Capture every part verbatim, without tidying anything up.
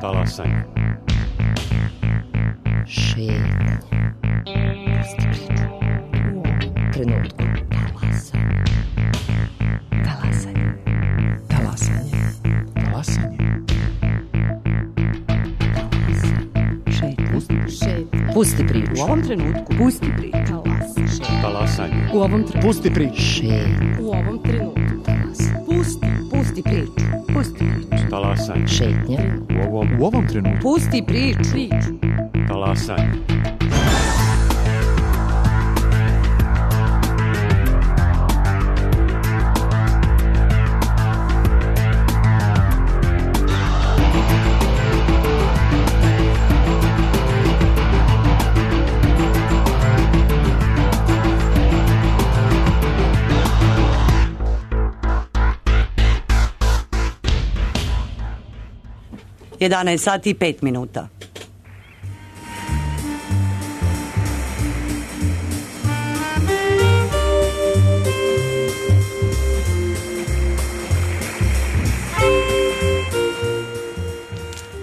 Talasanje. Šetnje. Pusti priču. U ovom trenutku. Talasanje. Talasanje. Talasanje. Šetnje. Pusti priču. U ovom trenutku. Pusti priču. Talasanje. U ovom trenutku. Pusti priču. Šetnje. U ovom trenutku. Pusti. Pusti priču. Pusti priču. Talasanje. Šetnje. U ovom, U ovom trenutku. Pusti priču. Priču. talasanje. jedanaest sati i pet minuta.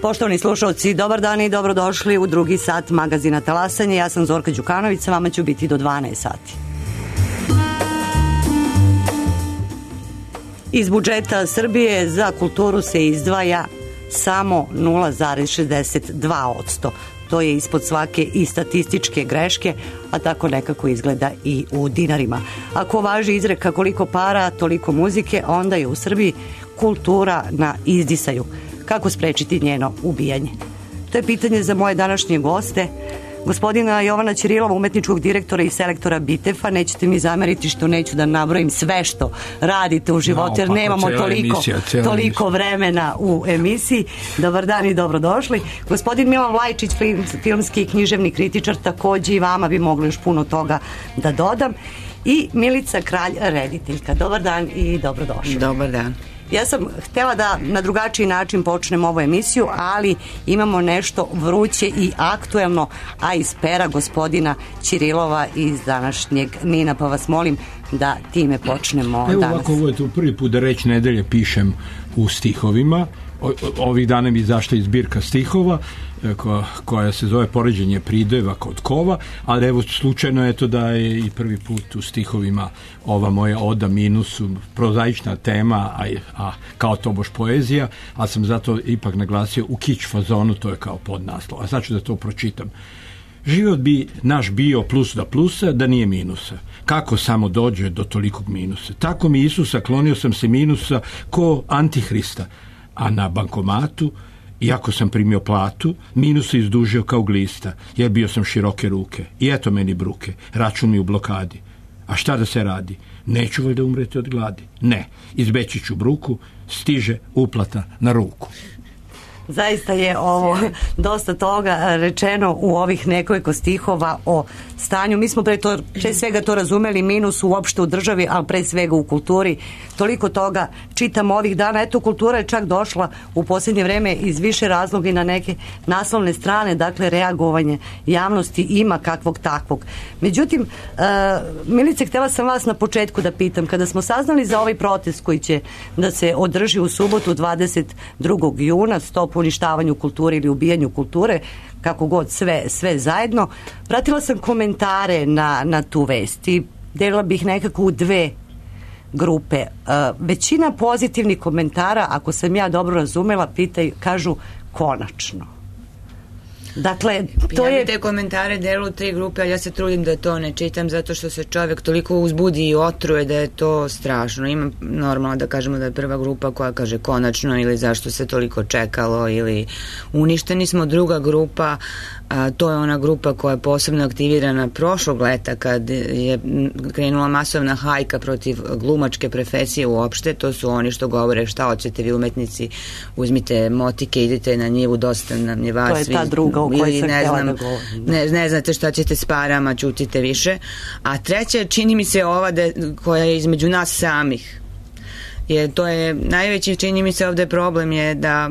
Poštovani slušalci, dobar dan i dobrodošli u drugi sat magazina Talasanje. Ja sam Zorka Đukanović, sa vama ću biti do dvanaest sati. Iz budžeta Srbije za kulturu se izdvaja samo nula zarez šezdeset dva posto. To je ispod svake i statističke greške, a tako nekako izgleda i u dinarima. Ako važi izreka koliko para, toliko muzike, onda je u Srbiji kultura na izdisaju. Kako sprečiti njeno ubijanje? To je pitanje za moje današnje goste, gospodina Jovana Ćirilova, umetničkog direktora i selektora Bitefa. Nećete mi zameriti što neću da nabrojim sve što radite u životu, jer nemamo toliko, emisija, toliko vremena u emisiji. Dobar dan i dobrodošli. Gospodin Milan Vlajčić, filmski i književni kritičar, takođe i vama bi mogli još puno toga da dodam. I Milica Kralj, rediteljka. Dobar dan i dobrodošli. Dobar dan. Ja sam htjela da na drugačiji način počnem ovu emisiju, ali imamo nešto vruće i aktuelno, a iz pera gospodina Ćirilova iz današnjeg Nina, pa vas molim da time počnemo Evo danas. Ovako, ovo je tu prvi put da reći nedelje pišem u stihovima. O, ovih dana mi izašla zbirka stihova koja, koja se zove Poređenje prideva kod kova, ali evo slučajno je to da je i prvi put u stihovima ova moja oda minusu, prozaična tema, a, a kao tobož poezija, a sam zato ipak naglasio u kič fazonu, to je kao podnaslov. A sad ću da to pročitam. Život bi naš bio plus da plusa, da nije minusa. Kako samo dođe do tolikog minusa? Tako mi Isusa klonio sam se minusa ko Antihrista, a na bankomatu, iako sam primio platu, minus se izdužio kao glista, jer bio sam široke ruke. I eto meni bruke, račun mi u blokadi. A šta da se radi? Neću valjda umreti od gladi? Ne, izbeći ću bruku, stiže uplata na ruku. Zaista je ovo dosta toga rečeno u ovih nekoliko stihova o stanju. Mi smo pre, to, pre svega to razumeli, minus uopšte u državi, ali pre svega u kulturi. Toliko toga čitamo ovih dana. Eto, kultura je čak došla u posljednje vreme iz više razloga i na neke naslovne strane, dakle reagovanje javnosti ima kakvog takvog. Međutim, uh, Milice, htjela sam vas na početku da pitam, kada smo saznali za ovaj protest koji će da se održi u subotu dvadeset drugog juna, stop uništavanju kulture ili ubijanju kulture, kako god sve, sve zajedno, pratila sam komentare na, na tu vest i delila bih nekako u dve grupe. Uh, većina pozitivnih komentara, ako sam ja dobro razumela, pitaju, kažu konačno. Dakle, to ja je... bi te komentare delu tri grupe, ali ja se trudim da to ne čitam zato što se čovjek toliko uzbudi i otruje da je to strašno. Ima normalno da kažemo da je prva grupa koja kaže konačno ili zašto se toliko čekalo ili uništeni smo. Druga grupa, a, to je ona grupa koja je posebno aktivirana prošlog leta kad je krenula masovna hajka protiv glumačke profesije uopšte. To su oni što govore šta hoćete vi umetnici, uzmite motike, idite na njivu, dosta nam je vas. To je ta druga ili ne znam, da ne, ne znate šta ćete s parama, ćutite više. A treća, čini mi se ova de, koja je između nas samih. Je, to je najveći, čini mi se ovde problem je da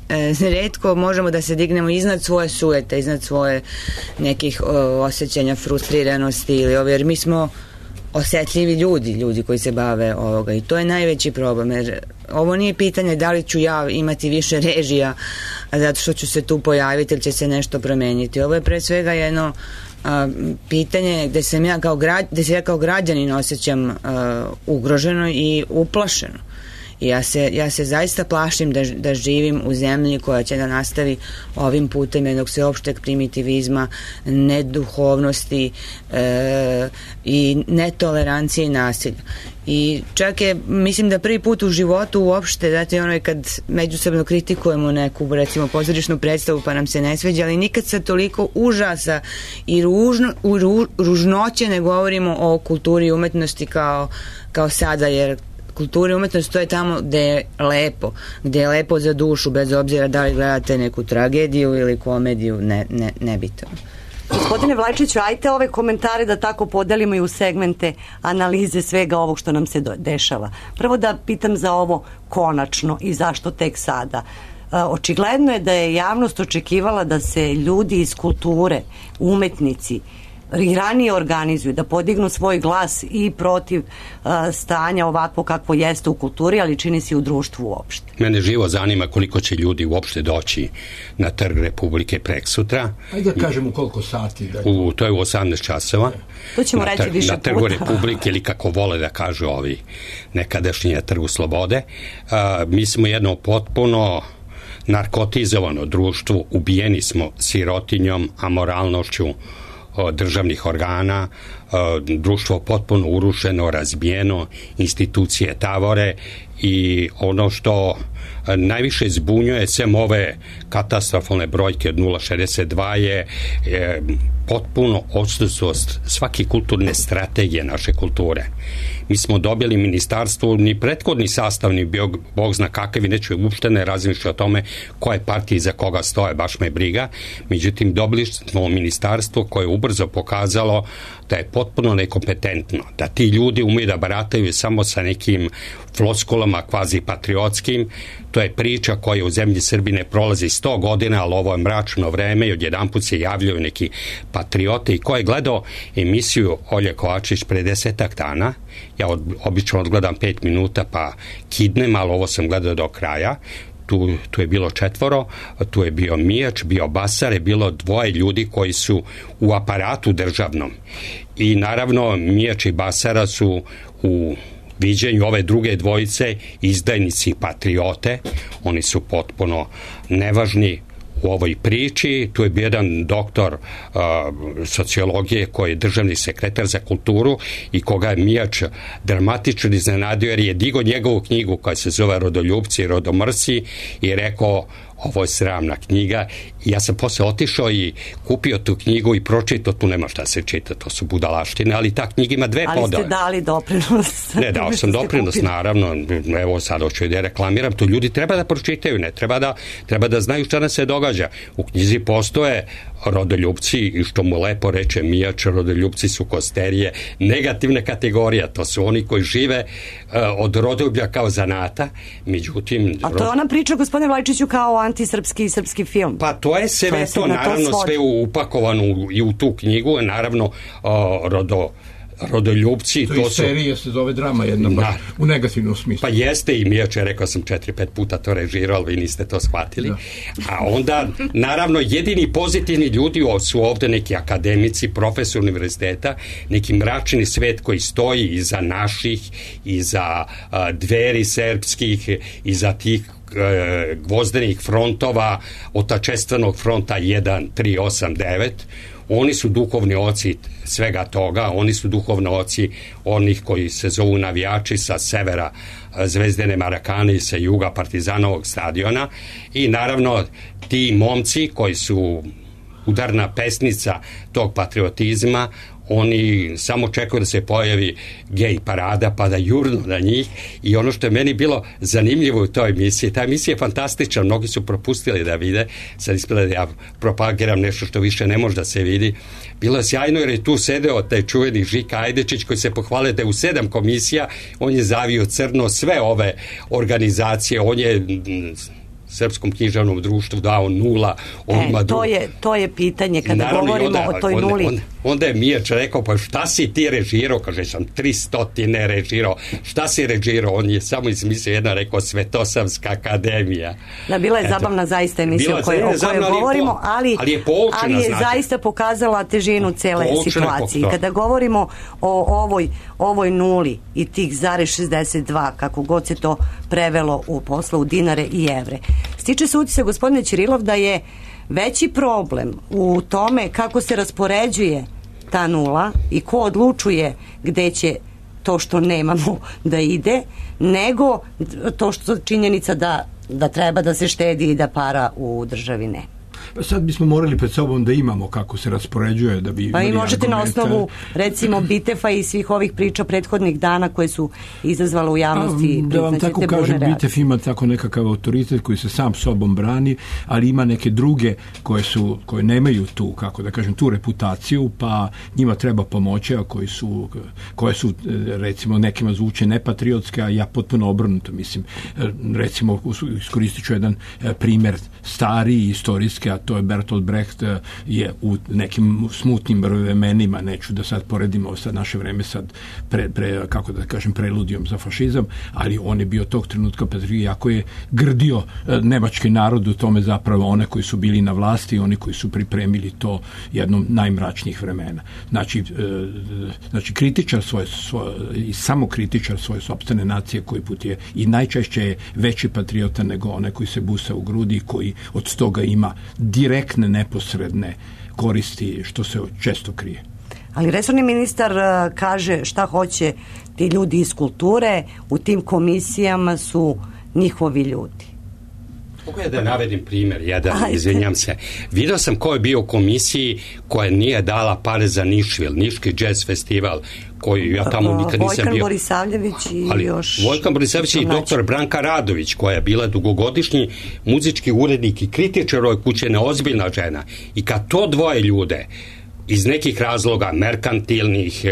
e, retko možemo da se dignemo iznad svoje sujete, iznad svoje nekih o, osjećanja frustriranosti ili ovo, jer mi smo osetljivi ljudi, ljudi koji se bave ovoga i to je najveći problem, jer ovo nije pitanje da li ću ja imati više režija zato što ću se tu pojaviti ili će se nešto promeniti. Ovo je pre svega jedno a, pitanje gde sam ja kao, gra, gde se ja kao građanin osjećam a, ugroženo i uplašeno. I ja se, ja se zaista plašim da, da živim u zemlji koja će da nastavi ovim putem jednog sveopšteg primitivizma, neduhovnosti e, i netolerancije i nasilja. I čak je, mislim da prvi put u životu uopšte, znate, ono je kad međusobno kritikujemo neku, recimo, pozorišnu predstavu pa nam se ne sveđa, ali nikad sa toliko užasa i ružno, ru, ružnoće ne govorimo o kulturi i umetnosti kao, kao sada, jer kultura i umetnost to je tamo gde je lepo, gde je lepo za dušu, bez obzira da li gledate neku tragediju ili komediju, ne, ne, nebitno. Gospodine Vlajčiću, ajte ove komentare da tako podelimo i u segmente analize svega ovog što nam se do, dešava. Prvo da pitam za ovo konačno i zašto tek sada. E, očigledno je da je javnost očekivala da se ljudi iz kulture, umetnici, i ranije organizuju, da podignu svoj glas i protiv uh, stanja ovako kakvo jeste u kulturi, ali čini se i u društvu uopšte. Mene živo zanima koliko će ljudi uopšte doći na Trg Republike preksutra. Ajde da kažem u koliko sati. Da... U, to je u osamnaest časova. To ćemo reći tr- više puta. Na Trgu puta. Republike, ili kako vole da kažu ovi nekadašnji na Trgu Slobode. Uh, mi smo jedno potpuno narkotizovano društvo, ubijeni smo sirotinjom, amoralnošću državnih organa, društvo potpuno urušeno, razbijeno, institucije tavore i ono što najviše zbunjuje sem ove katastrofalne brojke od nula zarez šezdeset dva je, je potpuno odsustvo svake kulturne strategije naše kulture. Mi smo dobili ministarstvo, ni prethodni sastav ni bio Bog zna kakav i neću uopšte ne razmišljati o tome koje partije za koga stoje, baš me briga. Međutim, dobili smo ministarstvo koje je ubrzo pokazalo da je potpuno nekompetentno, da ti ljudi umeju da barataju samo sa nekim floskulama kvazi patriotskim. To je priča koja u zemlji Srbije ne prolazi sto godina, ali ovo je mračno vreme i odjedanput se javljaju neki patriote. I ko je gledao emisiju Olje Kovačić pre desetak dana, ja od, obično odgledam pet minuta pa kidnem, ali ovo sam gledao do kraja. Tu, tu je bilo četvoro, tu je bio Mijač, bio Basar, je bilo dvoje ljudi koji su u aparatu državnom. I naravno Mijač i Basara su u viđenju ove druge dvojice izdajnici patriote. Oni su potpuno nevažni u ovoj priči. Tu je bio jedan doktor uh, sociologije koji je državni sekretar za kulturu i koga je Mijač dramatično iznenadio jer je digo njegovu knjigu koja se zove Rodoljupci i Rodomrsi i rekao ovo je sramna knjiga i ja sam posle otišao i kupio tu knjigu i pročitao, tu nema šta se čita, to su budalaštine, ali ta knjiga ima dve podove. Ali ste dali doprinos. Ne, dao sam doprinos, naravno, evo sad hoću da reklamiram, to ljudi treba da pročitaju, ne treba da, treba da znaju šta nam se događa. U knjizi postoje rodoljupci i što mu lepo reče Mijač, rodoljupci su kosterije, negativne kategorije, to su oni koji žive uh, od rodoljublja kao zanata, međutim... A to je ona priča, gospodine Vlajčiću, kao antisrpski i srpski film. Pa to je sve to, je to naravno to sve upakovano u, i u tu knjigu, naravno uh, rodo rodoljupci, to, to to su... serija se zove drama jedna, baš, u negativnom smislu. Pa jeste i Mijač je rekao sam četiri, pet puta to režirao, vi niste to shvatili. Da. A onda, naravno, jedini pozitivni ljudi su ovde neki akademici, profesor univerziteta, neki mračni svet koji stoji iza naših, iza uh, Dveri srpskih, iza tih gvozdenih frontova, otačestvenog fronta jedan, tri, osam, devet. Oni su duhovni oci svega toga, oni su duhovni oci onih koji se zovu navijači sa severa Zvezdene Marakane i sa juga Partizanovog stadiona i naravno ti momci koji su udarna pesnica tog patriotizma, oni samo čekaju da se pojavi gej parada pa da jurnu na njih i ono što je meni bilo zanimljivo u toj emisiji, ta emisija je fantastična, mnogi su propustili da vide, sad ispada da ja propagiram nešto što više ne može da se vidi, bilo je sjajno jer je tu sedeo taj čuveni Žika Ajdečić koji se pohvalio da je u sedam komisija, on je zavio crno sve ove organizacije, on je Srpskom književnom društvu dao nula. E, to, je, to je pitanje kada naravno, govorimo onda, o toj onda, nuli. Onda, onda je Mijač rekao, pa šta si ti režirao? Kaže, sam tristotine režirao. Šta si režirao? On je samo izmislio jedna, rekao, Svetosavska akademija. Da, bila je Eto, zabavna zaista emisija o kojoj, o kojoj govorimo, ali, ali je, poučena, ali je znate. zaista pokazala težinu cele situacije. Kada govorimo o ovoj, ovoj nuli i tih zarez šezdeset dva, kako god se to prevelo u poslu u dinare i evre, stiče se utisak, gospodine Ćirilov, da je veći problem u tome kako se raspoređuje ta nula i ko odlučuje gde će to što nemamo da ide, nego to što činjenica da, da treba da se štedi i da para u državi ne. Sad bismo morali pred sobom da imamo kako se raspoređuje da bi pa i možete argumenta. Na osnovu recimo Bitefa i svih ovih priča prethodnih dana koje su izazvale u javnosti. A, da vam tako kažem, Bitef ima tako nekakav autoritet koji se sam sobom brani, ali ima neke druge koje su, koje nemaju tu, kako da kažem, tu reputaciju, pa njima treba pomoći, a koji su, koje su recimo nekima zvuče nepatriotske, a ja potpuno obrnuto mislim. Recimo iskoristit ću jedan primer stari istorijski, a to je Bertolt Brecht, je u nekim smutnim vremenima, neću da sad poredimo sad naše vreme sad pre, pre, kako da kažem, preludijom za fašizam, ali on je bio tog trenutka patriot, jako je grdio nemački narod u tome, zapravo one koji su bili na vlasti i oni koji su pripremili to jednom najmračnijih vremena. Znači, znači kritičar svoje, svoje i samo kritičar svoje sopstvene nacije koji put je i najčešće je veći patriota nego onaj koji se busa u grudi i koji od toga ima direktne, neposredne koristi, što se često krije. Ali resorni ministar uh, kaže šta hoće ti ljudi iz kulture, u tim komisijama su njihovi ljudi. Mogu ja da navedim primjer, jedan, Ajde. izvinjam se. Vidio sam ko je bio u komisiji koja nije dala pare za Nišvil, Niški jazz festival, koji ja tamo nikad nisam Vojkan bio. Borisavljević i ali još... Vojkan Borisavljević i doktor Branka Radović, koja je bila dugogodišnji muzički urednik i kritičar ove kuće, neozbiljna žena. I kad to dvoje ljude iz nekih razloga, merkantilnih,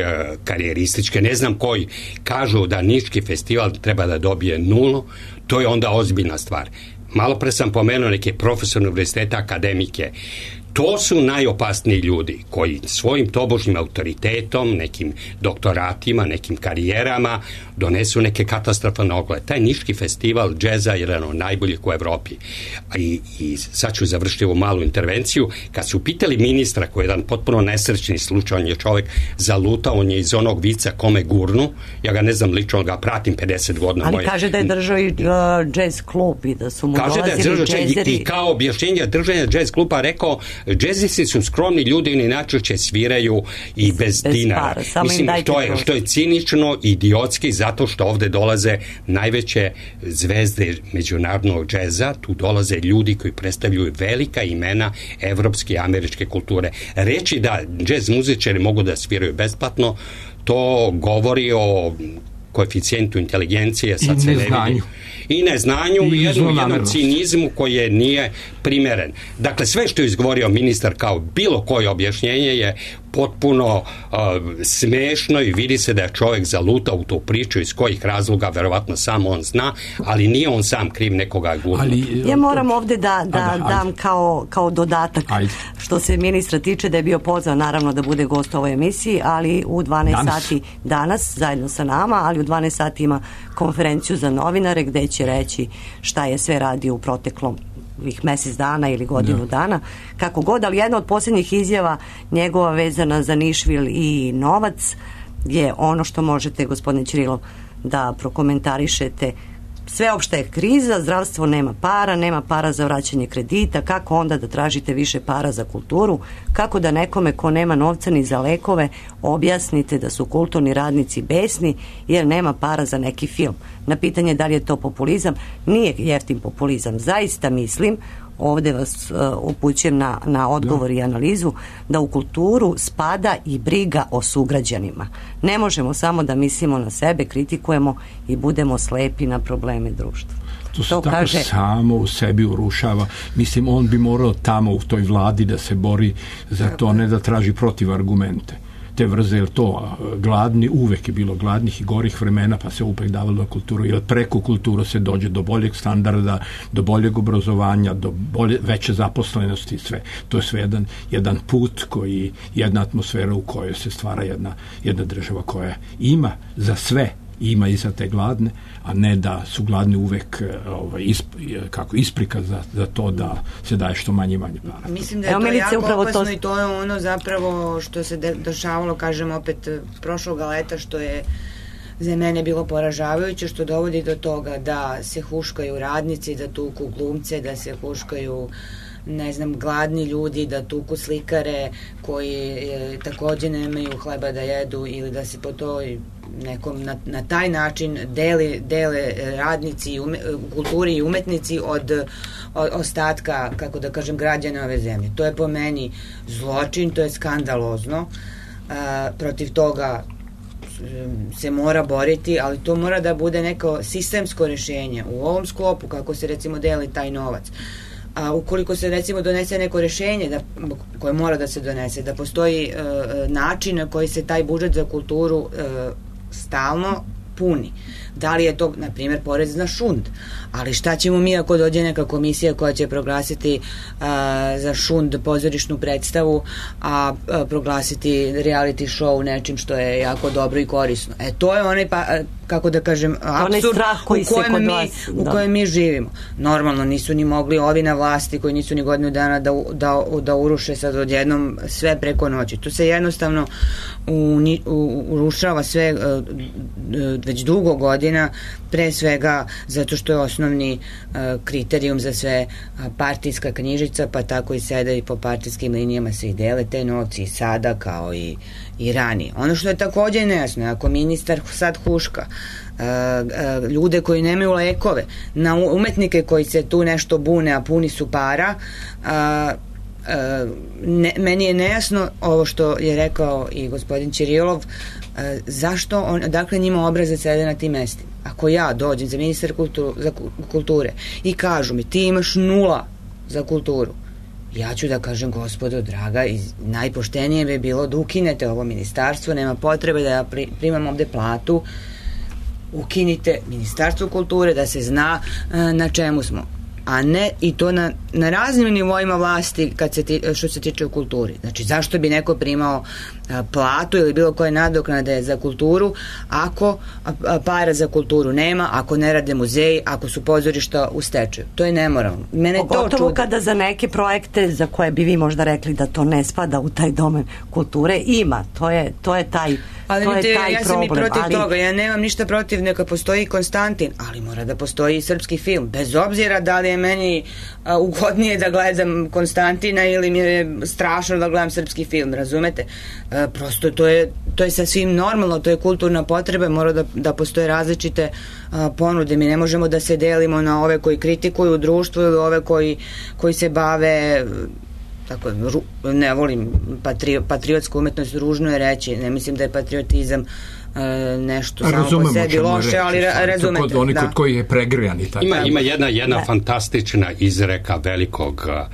karijerističke, ne znam koji, kažu da Niški festival treba da dobije nulu, to je onda ozbiljna stvar. Malo pre sam pomenuo neke profesore univerziteta, akademike. To su najopasniji ljudi koji svojim tobožnjim autoritetom, nekim doktoratima, nekim karijerama donesu neke katastrofalne oglede. Taj Niški festival džeza je jedan od najboljih u Evropi. I, i sad ću završiti ovu malu intervenciju. Kad su pitali ministra, koji je jedan potpuno nesrećni slučaj, on je čovjek zalutao, on je iz onog vica kome gurnu, ja ga ne znam lično, ga pratim pedeset godina. Ali moje... kaže da je držao i uh, džez klub i da su mu kaže dolazili da je džezeri. I, i kao objašnjenje držanja džez kluba rekao, džezisti su skromni ljudi i inače sviraju i bez, bez dinara. Para, mislim, što je, što je cinično, idiotski, zato što ovde dolaze najveće zvezde međunarodnog džeza, tu dolaze ljudi koji predstavljaju velika imena evropske i američke kulture. Reći da džez muzičari mogu da sviraju besplatno, to govori o koeficijentu inteligencije, sad se ne vidi. I neznanju i, i jednom, jednom cinizmu koji nije primeren. Dakle, sve što je izgovorio ministar kao bilo koje objašnjenje je potpuno uh, smešno i vidi se da je čovjek zalutao u tu priču, iz kojih razloga verovatno samo on zna, ali nije on sam kriv nekoga gurnuti. Ja moram ovde da, da ajde, dam ajde. Kao, kao dodatak ajde. Što se ministra tiče, da je bio pozvan naravno da bude gost u ovoj emisiji, ali u dvanaest danas. Sati danas zajedno sa nama, ali u dvanaest sati ima konferenciju za novinare gde će reći šta je sve radio u proteklom ovih mjesec dana ili godinu da. dana, kako god, ali jedna od posljednjih izjava njegova vezana za Nišvil i novac je ono što možete, gospodine Ćirilov, da prokomentarišete. Sveopšta je kriza, zdravstvo nema para, nema para za vraćanje kredita, kako onda da tražite više para za kulturu, kako da nekome ko nema novca ni za lekove objasnite da su kulturni radnici besni jer nema para za neki film. Na pitanje da li je to populizam, nije jeftin populizam. Zaista mislim, ovdje vas uh, upućujem na, na odgovor i analizu, da u kulturu spada i briga o sugrađanima. Ne možemo samo da mislimo na sebe, kritikujemo i budemo slepi na probleme društva. To se to tako kaže... samo u sebi urušava. Mislim, on bi morao tamo u toj vladi da se bori za to, ne da traži protiv argumente. te vrze, jer to gladni, uvek je bilo gladnih i gorih vremena, pa se upek davalo na kulturu, jer preko kulturu se dođe do boljeg standarda, do boljeg obrazovanja, do bolje, veće zaposlenosti i sve. To je sve jedan, jedan put koji, jedna atmosfera u kojoj se stvara jedna, jedna država koja ima za sve, ima i za te gladne, a ne da su gladni uvek ovaj, isp, kako isprika za, za to da se daje što manje i manje para. Mislim da je Evo, to Milice, jako upravo opasno to... i to je ono zapravo što se de, dešavalo, kažem opet, prošloga leta, što je za mene bilo poražavajuće, što dovodi do toga da se huškaju radnici, da tuku glumce, da se huškaju ne znam, gladni ljudi, da tuku slikare koji e, takođe nemaju hleba da jedu, ili da se po toj nekom na, na taj način deli, dele radnici ume, kulturi i umetnici od, od ostatka, kako da kažem, građana ove zemlje. To je po meni zločin, to je skandalozno. A, protiv toga se mora boriti, ali to mora da bude neko sistemsko rešenje u ovom sklopu, kako se recimo deli taj novac. A ukoliko se recimo donese neko rešenje da, koje mora da se donese, da postoji e, način na koji se taj budžet za kulturu e, stalno puni. Da li je to, na primjer, porez na šund, ali šta ćemo mi ako dođe neka komisija koja će proglasiti a, za šund pozorišnu predstavu, a, a proglasiti reality show nečim što je jako dobro i korisno. E, to je onaj, pa, kako da kažem, apsurd u kojem, mi, vas, u kojem mi živimo. Normalno, nisu ni mogli ovi na vlasti koji nisu ni godinu dana da, da, da uruše sad odjednom sve preko noći. Tu se jednostavno uni, u, urušava sve uh, već dugo godina, pre svega zato što je osnovni uh, kriterijum za sve uh, partijska knjižica, pa tako i sada i po partijskim linijama se i dele te novci i sada kao i, i ranije. Ono što je takođe nejasno, ako ministar sad huška Uh, uh, ljude koji nemaju lekove, na umetnike koji se tu nešto bune, a puni su para, uh, uh, ne, meni je nejasno ovo što je rekao i gospodin Ćirilov, uh, zašto on, dakle njima obrazac sede na tim mestima. Ako ja dođem za ministar kultu, za kulture i kažu mi ti imaš nula za kulturu, ja ću da kažem, gospodo draga, i najpoštenije bi bilo da ukinete ovo ministarstvo, nema potrebe da ja pri, primam ovde platu, ukinite Ministarstvo kulture, da se zna uh, na čemu smo, a ne i to na, na raznim nivoima vlasti kad se ti, što se tiče u kulturi. Znači, zašto bi neko primao a, platu ili bilo koje nadoknade za kulturu ako a, a, para za kulturu nema, ako ne rade muzeji, ako su pozorišta u stečaju. To je nemoralno. Mene Pogotovo to čudi. Kada za neke projekte za koje bi vi možda rekli da to ne spada u taj domen kulture, ima. To je, to je taj Ali to je te, taj ja sam problem, i protiv ali... toga, ja nemam ništa protiv, neka postoji Konstantin, ali mora da postoji i srpski film, bez obzira da li je meni a, ugodnije da gledam Konstantina ili mi je strašno da gledam srpski film, razumete? A, prosto to je, to je sasvim normalno, to je kulturna potreba, mora da, da postoje različite a, ponude, mi ne možemo da se delimo na ove koji kritikuju društvo ili ove koji, koji se bave... Tako, ne volim patri, patriotsku umetnost, ružno je reći, ne mislim da je patriotizam e, nešto a, samo po sebi loše, reći, ali ra, razumete. Kod, oni da. Kod koji je pregrijan i tako. Ima, ima jedna, jedna fantastična izreka velikog uh,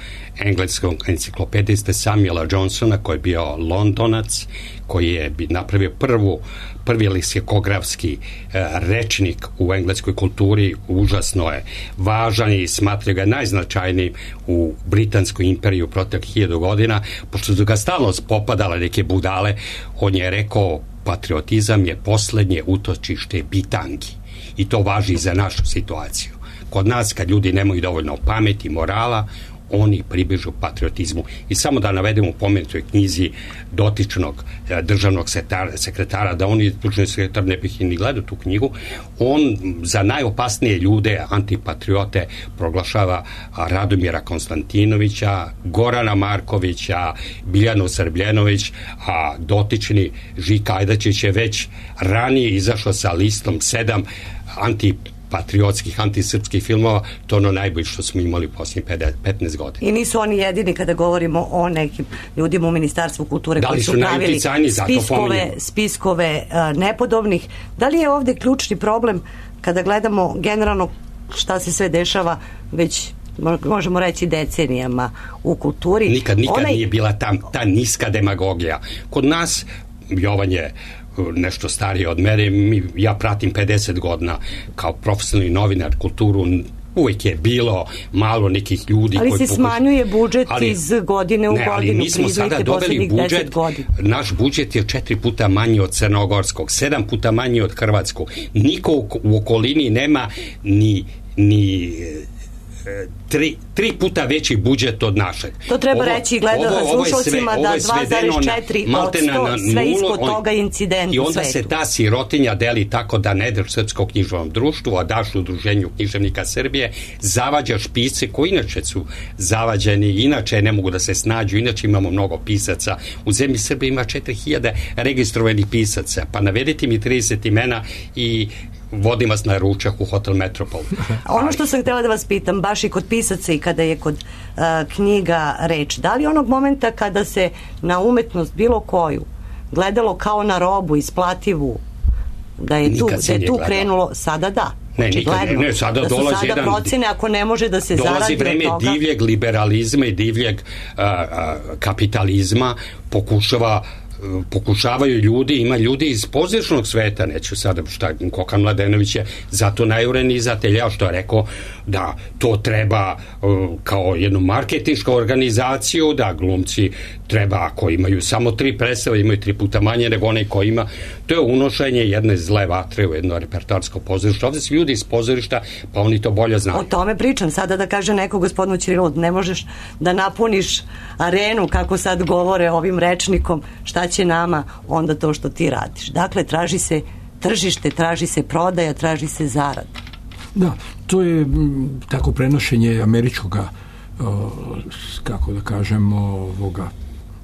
engleskog enciklopediste Samuela Johnsona, koji je bio Londonac, koji je napravio prvu prvi leksikografski uh, rečnik u engleskoj kulturi, užasno je važan i smatraju ga najznačajnijim u Britanskoj imperiju protiv hiljadu godina, pošto su ga stalno popadale neke budale, on je rekao patriotizam je poslednje utočište bitangi i to važi za našu situaciju. Kod nas kad ljudi nemaju dovoljno pameti, morala, oni pribežu patriotizmu. I samo da navedemo u pomenutoj knjizi dotičnog eh, državnog sekretara, sekretara da on je slučajni sekretar, ne bih i ni gledao tu knjigu, on za najopasnije ljude, antipatriote, proglašava Radomira Konstantinovića, Gorana Markovića, Biljanu Srbljenović, a dotični Žika Ajdačić je već ranije izašao sa listom sedam anti patriotskih, antisrpskih filmova, to ono najbolje što smo imali posljednjih petnaest godina. I nisu oni jedini kada govorimo o nekim ljudima u Ministarstvu kulture da koji su, su pravili spiskove, spiskove uh, nepodobnih. Da li je ovde ključni problem kada gledamo generalno šta se sve dešava već možemo reći decenijama u kulturi? Nikad, nikad Onaj... nije bila ta, ta niska demagogija. Kod nas Jovan je nešto starije od mene, mi, ja pratim pedeset godina kao profesionalni novinar kulturu, uvijek je bilo malo nekih ljudi ali koji se pokuš... smanjuje budžet ali, iz godine u ne, godinu. Ali mi smo sada dobili budžet, naš budžet je četiri puta manji od crnogorskog, sedam puta manji od hrvatskog. Niko u okolini nema ni, ni Tri, tri puta veći budžet od našeg. To treba ovo, reći gleda slušalcima da dva zarez četiri posto sve ispod toga incident i u onda svetu. Se ta sirotinja deli tako da ne daš Srpskom književnom društvu, a daš Udruženju književnika Srbije, zavađaš pisce koji inače su zavađeni, inače ne mogu da se snađu, inače imamo mnogo pisaca. U zemlji Srbije ima četiri hiljade registrovanih pisaca, pa navedite mi trideset imena i vodim vas na ručak u Hotel Metropol. Ono što sam htjela da vas pitam, baš i kod pisaca i kada je kod uh, knjiga reč, da li onog momenta kada se na umetnost bilo koju gledalo kao na robu isplativu, da je tu, da je tu krenulo, sada da. Ne, nikad ne, ne, sada da su dolazi sada jedan, procene ako ne može da se zaradi dolazi vreme od toga. divljeg liberalizma i divljeg a, a, kapitalizma, pokušava pokušavaju ljudi, ima ljudi iz pozorišnog sveta, neću sada šta, Kokan Mladenović je zato najureniji izatelj, ja što je rekao da to treba uh, kao jednu marketinšku organizaciju, da glumci treba, ako imaju samo tri predstave, imaju tri puta manje nego onaj ko ima, to je unošenje jedne zle vatre u jedno repertoarsko pozorište. Ovdje su ljudi iz pozorišta, pa oni to bolje znaju. O tome pričam, sada da kaže neko gospodinu Ćirilu, ne možeš da napuniš arenu, kako sad govore ovim rečnikom, šta će nama onda to što ti radiš. Dakle, traži se tržište, traži se prodaja, traži se zarada. Da, to je m, tako prenošenje američkoga, o, kako da kažemo, ovoga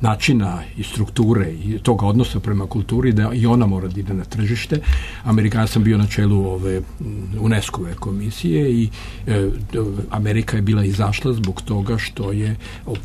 načina i strukture i toga odnosa prema kulturi, da i ona mora da ide na tržište. Amerikan sam bio na čelu ove UNESCO-ve komisije i e, Amerika je bila izašla zbog toga što je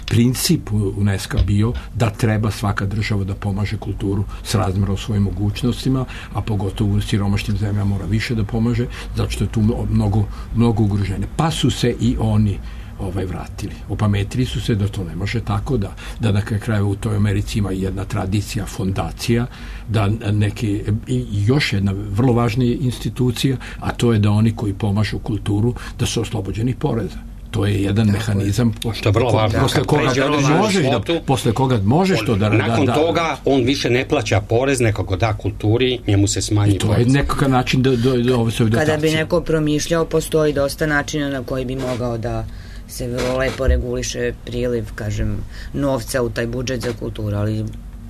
princip UNESCO bio da treba svaka država da pomaže kulturu s razmjerom svojim mogućnostima, a pogotovo u siromašnim zemljama mora više da pomaže, zato što je tu mnogo, mnogo ugroženje. Pa su se i oni ovaj vratili. Opametili su se da to ne može tako, da, da na kraju u toj Americi ima jedna tradicija, fondacija, da neke, i još jedna vrlo važna institucija, a to je da oni koji pomažu kulturu, da su oslobođeni poreza. To je jedan tako mehanizam što je vrlo važno. Posle koga možeš da, posle koga možeš on, to da... Nakon da, toga on više ne plaća porez, nekako da kulturi, njemu se smanji to porez. Je nekakav način da, da, da ovo se kada bi neko promišljao, postoji dosta načina na koji bi mogao da se vrlo lepo reguliše priliv, kažem, novca u taj budžet za kulturu, ali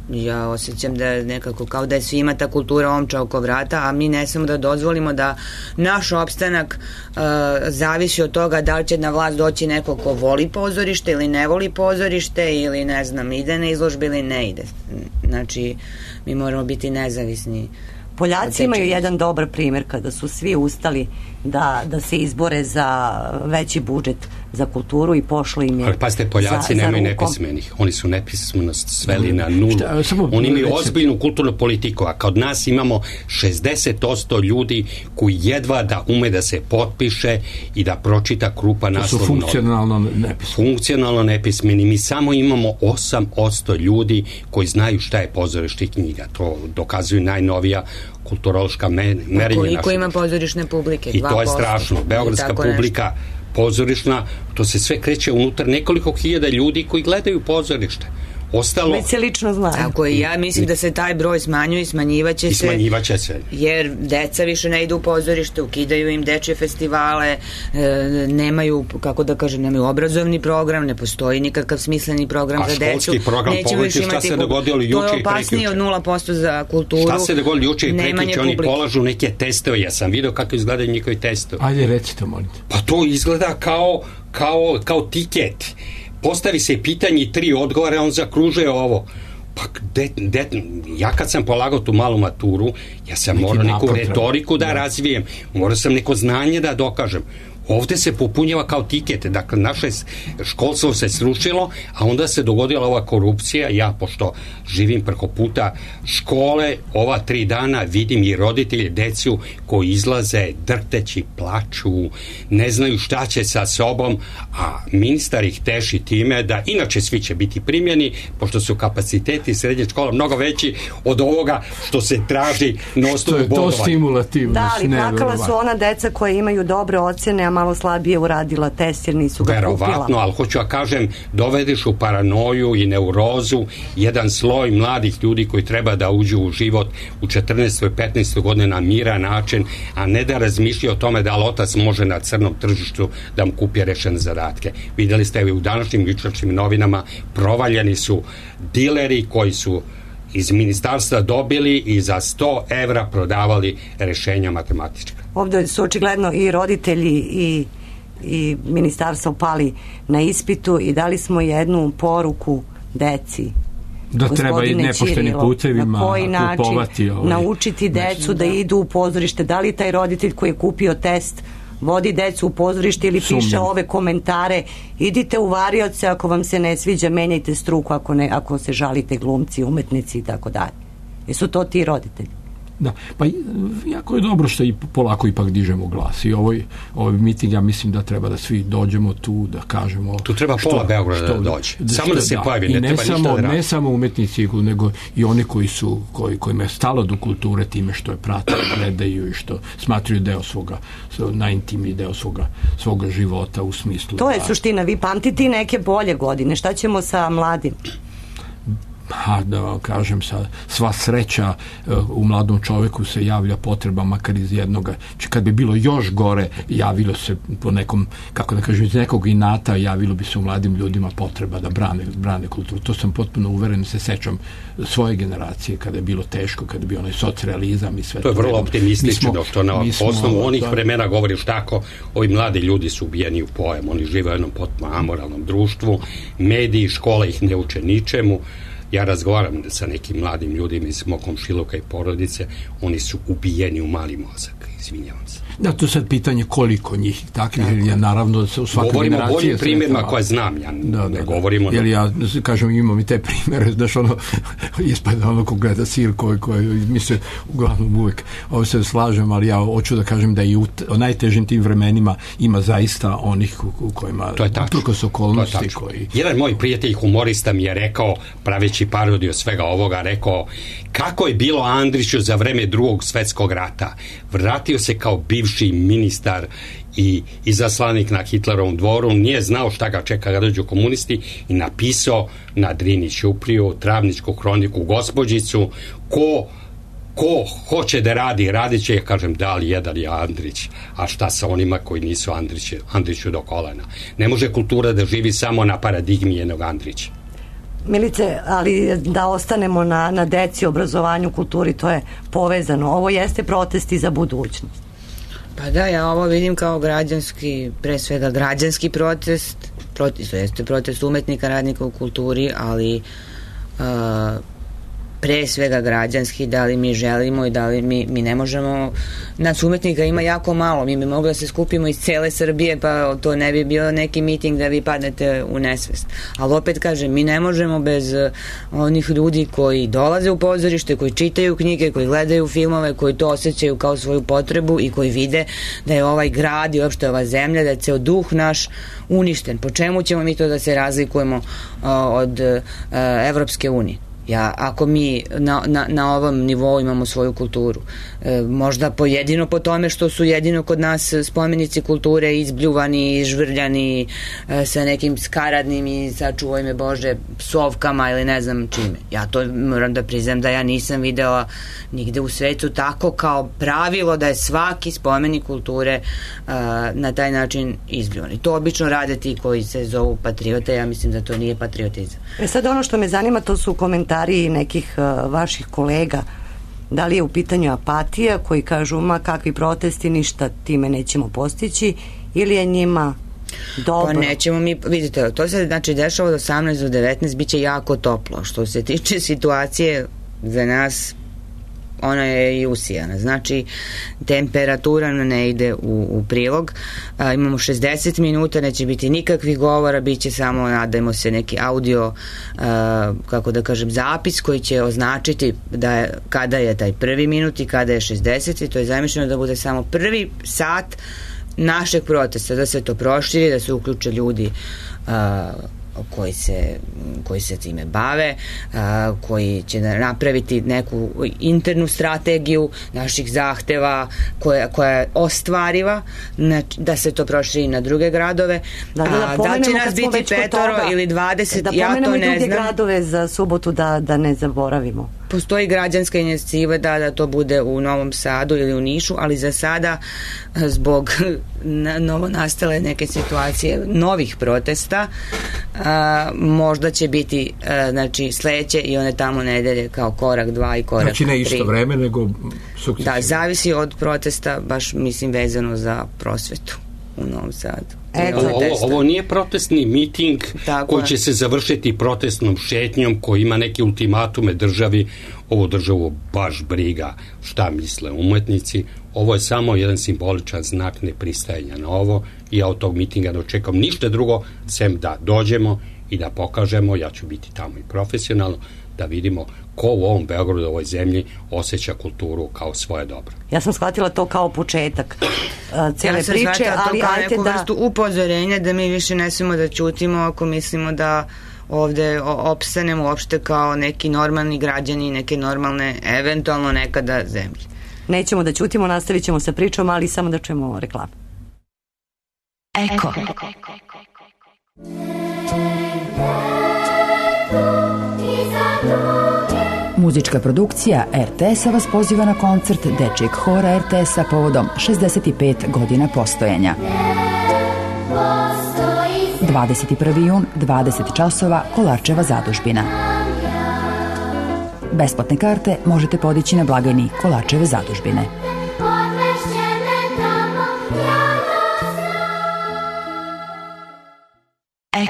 ja osjećam da je nekako kao da je svima ta kultura omča oko vrata, a mi ne samo da dozvolimo da naš opstanak uh, zavisi od toga da li će na vlast doći neko ko voli pozorište ili ne voli pozorište ili ne znam, ide na izložbe ili ne ide. Znači, mi moramo biti nezavisni. Poljaci imaju jedan dobar primjer kada su svi ustali da, da se izbore za veći budžet za kulturu i pošlo im je. Ali pazite, Poljaci za, nemaju za nepismenih. Oni su nepismenost sveli na nulu. Šta, samo, Oni imaju recimo, ozbiljnu kulturnu politiku, a kod nas imamo šezdeset posto ljudi koji jedva da ume da se potpiše i da pročita krupa naslov. To su funkcionalno nepismeni. Funkcionalno nepismeni. Mi samo imamo osam posto ljudi koji znaju šta je pozorište i knjiga. To dokazuju najnovija kulturološka merenja. Koliko ima pozorišne publike? I to je strašno. Beogradska publika nešto. Pozorišna, to se sve kreće unutar nekoliko hiljada ljudi koji gledaju pozorište. Ostalo... Već se lično zna. Tako je, ja mislim da se taj broj smanjuje i smanjivaće I se. smanjivaće se. Jer deca više ne idu u pozorište, ukidaju im dečje festivale, e, nemaju, kako da kažem, nemaju obrazovni program, ne postoji nikakav smisleni program a za decu. A školski program, pogledajte šta se dogodilo juče i prekjuče. To je opasnije od nula posto za kulturu. Šta se dogodilo juče i prekjuče, oni polažu neke testove, ja sam vidio kako izgledaju njihovi testovi. Ajde, recite, molite. Pa to izgleda kao, kao, kao tiket. Postavi se pitanje i tri odgovore, on zakružuje ovo. Pa de, de, ja kad sam polagao tu malu maturu, ja sam neki morao neku napad, retoriku da, da razvijem, morao sam neko znanje da dokažem. Ovde se popunjava kao tiket, dakle naše školstvo se srušilo, a onda se dogodila ova korupcija. Ja, pošto živim preko puta škole, ova tri dana vidim i roditelje, decu koji izlaze drhteći, plaču, ne znaju šta će sa sobom, a ministar ih teši time da inače svi će biti primljeni, pošto su kapaciteti srednje škola mnogo veći od ovoga što se traži na osnovu bodovanja. To je to stimulativno. Da, ali plakala su ona deca koje imaju dobre ocene, a malo slabije uradila test jer nisu ga kupila. Verovatno, ali hoću ja kažem, dovedeš u paranoju i neurozu jedan sloj mladih ljudi koji treba da uđu u život u četrnaestoj petnaestoj godine na miran način, a ne da razmišlja o tome da otac može na crnom tržištu da mu kupi rešene zadatke. Videli ste u današnjim jučerašnjim novinama, provaljeni su dileri koji su iz ministarstva dobili i za sto evra prodavali rešenja matematička. Ovdje su očigledno i roditelji i, i ministarstvo pali na ispitu i dali smo jednu poruku deci. Da treba i nepoštenim putevima na koji način kupovati ovaj, naučiti decu da, da idu u pozorište. Da li taj roditelj koji je kupio test vodi decu u pozorište ili Sumnjam. piše ove komentare, idite u varioce, ako vam se ne sviđa menjajte struku, ako, ne, ako se žalite glumci, umetnici i tako dalje. Jesu to ti roditelji? Da, pa jako je dobro što i polako ipak dižemo glas i ovoj, ovoj miting, ja mislim da treba da svi dođemo tu, da kažemo tu treba što, pola Beograda što, da dođe, da, samo da se da, pojavi, ne, ne, ne treba samo, ništa da radi. ne samo umetnici, nego i oni koji su koji, kojima je stalo do kulture time što je prate, gledaju i što smatruju deo svoga, najintimniji deo svoga, svoga života u smislu. To je da, suština, vi pamtite neke bolje godine, šta ćemo sa mladim? Ha, da vam kažem, sa, sva sreća uh, u mladom čoveku se javlja potreba makar iz jednoga, či kad bi bilo još gore, javilo se po nekom, kako da kažem, iz nekog inata javilo bi se u mladim ljudima potreba da brane, brane kulturu. To sam potpuno uveren, se sećam svoje generacije kada je bilo teško, kada je bio onaj socrealizam i sve to. To je vrlo optimistično, što na osnovu onih da, vremena govoriš tako, ovi mladi ljudi su ubijeni u pojem, oni žive u jednom potpuno amoralnom društvu, mediji, škola ih ne uče ničemu. Ja razgovaram sa nekim mladim ljudima iz mog komšiluka i porodice, oni su ubijeni u mali mozak, izvinjavam se. Da, to je sad pitanje koliko njih takvih, jer ja naravno da se u svakoj generaciji... Govorimo o boljim primjerima koje znam, ja da, ne da, govorimo... Jer ja, kažem, imam i te primjere, znaš, ono, ispada ono ko gleda sir koji, koji mi se uglavnom uvek ovo se slažem, ali ja hoću da kažem da i u, o najtežim tim vremenima ima zaista onih u, u kojima... To je tačno. Uprkos okolnosti koji... Jedan moj prijatelj humorista mi je rekao, praveći parodiju svega ovoga, rekao kako je bilo Andriću za vreme drugog svetskog rata. Vratio se kao bivši ministar i izaslanik na Hitlerovom dvoru, nije znao šta ga čeka kada dođu komunisti i napisao na Drini Ćupriju, Travničku hroniku, Gospođicu, ko ko hoće da radi, radit će, ja kažem, da li jedan je Andrić, a šta sa onima koji nisu Andrić, Andriću do kolena. Ne može kultura da živi samo na paradigmi jednog Andrića. Milice, ali da ostanemo na, na deci, obrazovanju, kulturi, to je povezano. Ovo jeste protesti za budućnost. Pa da, ja ovo vidim kao građanski, pre svega građanski protest, protest, to jeste protest umetnika, radnika u kulturi, ali uh, pre svega građanski, da li mi želimo i da li mi, mi ne možemo, nas umetnika ima jako malo, mi bi mogli da se skupimo iz cele Srbije, pa to ne bi bio neki miting da vi padnete u nesvest, ali opet kažem, mi ne možemo bez onih ljudi koji dolaze u pozorište, koji čitaju knjige, koji gledaju filmove, koji to osjećaju kao svoju potrebu i koji vide da je ovaj grad i uopšte ova zemlja, da je ceo duh naš uništen. Po čemu ćemo mi to da se razlikujemo uh, od uh, Evropske unije? Ja, ako mi na, na, na ovom nivou imamo svoju kulturu, e, možda pojedino po tome što su jedino kod nas spomenici kulture izbljuvani, izžvrljani e, sa nekim skaradnim i sačuvaj me Bože psovkama ili ne znam čime. Ja to moram da priznam da ja nisam videla nigde u svetu tako kao pravilo da je svaki spomenik kulture e, na taj način izbljuvan. I to obično rade ti koji se zovu patriote, ja mislim da to nije patriotizam. E sad ono što me zanima, to su komentari nekih uh, vaših kolega. Da li je u pitanju apatija koji kažu ma kakvi protesti, ništa time nećemo postići, ili je njima dobro? Pa nećemo mi, vidite, to se znači dešava od osamnaest do devetnaest, bit će jako toplo. Što se tiče situacije za nas ona je i usijana. Znači, temperatura ne ide u, u prilog. A, imamo šezdeset minuta, neće biti nikakvih govora, bit će samo, nadajmo se, neki audio, a, kako da kažem, zapis koji će označiti da je, kada je taj prvi minut i kada je šezdeset i to je zamišljeno da bude samo prvi sat našeg protesta, da se to proširi, da se uključe ljudi a, koji se, koji se time bave, a, koji će napraviti neku internu strategiju naših zahteva koja, koja je ostvariva, znači, da se to proširi na druge gradove. Da, da, da, da će nas biti petoro toga, ili dvadeset, da ja to ne znam. Da pomenemo i druge gradove za subotu da, da ne zaboravimo. Postoji građanska inicijativa da, da to bude u Novom Sadu ili u Nišu, ali za sada zbog novo nastale neke situacije novih protesta a, možda će biti a, znači sledeće i one tamo nedelje kao korak dva i korak tri. Znači ne isto vreme nego sukcesivno. Da, zavisi od protesta, baš mislim vezano za prosvetu u Novom Sadu. Eto, ovo, ovo nije protestni miting tako koji će se završiti protestnom šetnjom koji ima neke ultimatume državi. Ovo državu baš briga šta misle umetnici. Ovo je samo jedan simboličan znak nepristajanja na ovo i ja od tog mitinga ne očekam ništa drugo sem da dođemo i da pokažemo, ja ću biti tamo i profesionalno, da vidimo ko u ovom Beogradu, u ovoj zemlji osjeća kulturu kao svoje dobro. Ja sam shvatila to kao početak uh, cijele ja priče, ali kao ajte neku da... vrstu upozorenja da mi više ne smemo da ćutimo ako mislimo da ovde opstanemo uopšte kao neki normalni građani, neke normalne, eventualno nekada zemlje. Nećemo da ćutimo, nastavit ćemo sa pričom, ali samo da čujemo reklamu. Eko. Muzička produkcija er te es-a vas poziva na koncert Dečijeg hora er te es-a povodom šezdeset pet godina postojanja. dvadeset prvi jun, dvadeset časova, Kolarčeva zadužbina. Besplatne karte možete podići na blagajni Kolarčeve zadužbine.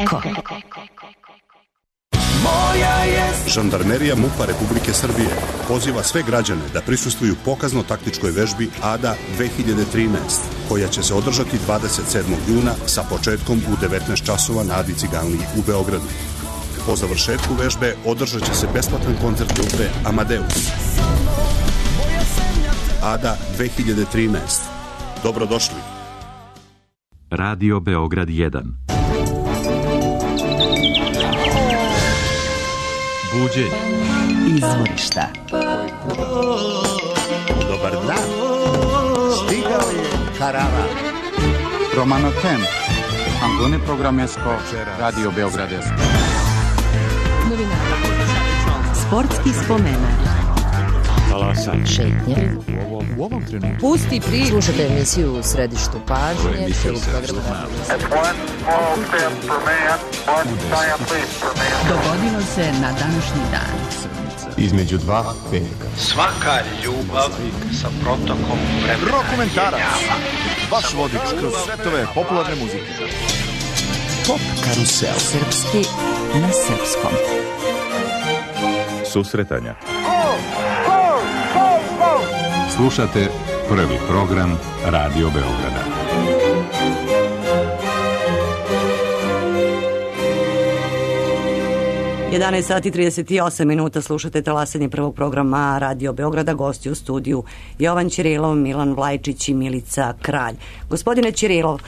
Eko. Žandarmerija MUP-a Republike Srbije poziva sve građane da prisustvuju pokazno-taktičkoj vežbi Ada dve hiljade trinaest, koja će se održati dvadeset sedmog juna sa početkom u devetnaest časova na Adi Ciganliji u Beogradu. Po završetku vežbe održat će se besplatan koncert grupe Amadeus. Ada dve hiljade trinaest. Dobrodošli. Radio Beograd jedan. Buđenje. Izvorišta. Dobar dan. Stigao je Karava. Romano Tem. Antone Programesko. Radio Beogradesko. Sportski spomenak. Talasanje. Šetnje. U ovom trenutku. Pusti priču. Slušajte emisiju u središtu pažnje. Dogodilo se na današnji dan. Između dva veka. Svaka ljubav sa protokom vremena. Rokomentarac. Vaš vodič kroz svetove popularne muzike. Pop karusel. Srpski na srpskom. Susretanja. Slušate prvi program Radio Beograda. jedanaest sati i trideset osam minuta, slušate talasanje prvog programa Radio Beograda, gosti u studiju Jovan Ćirilov, Milan Vlajčić i Milica Kralj. Gospodine Ćirilov,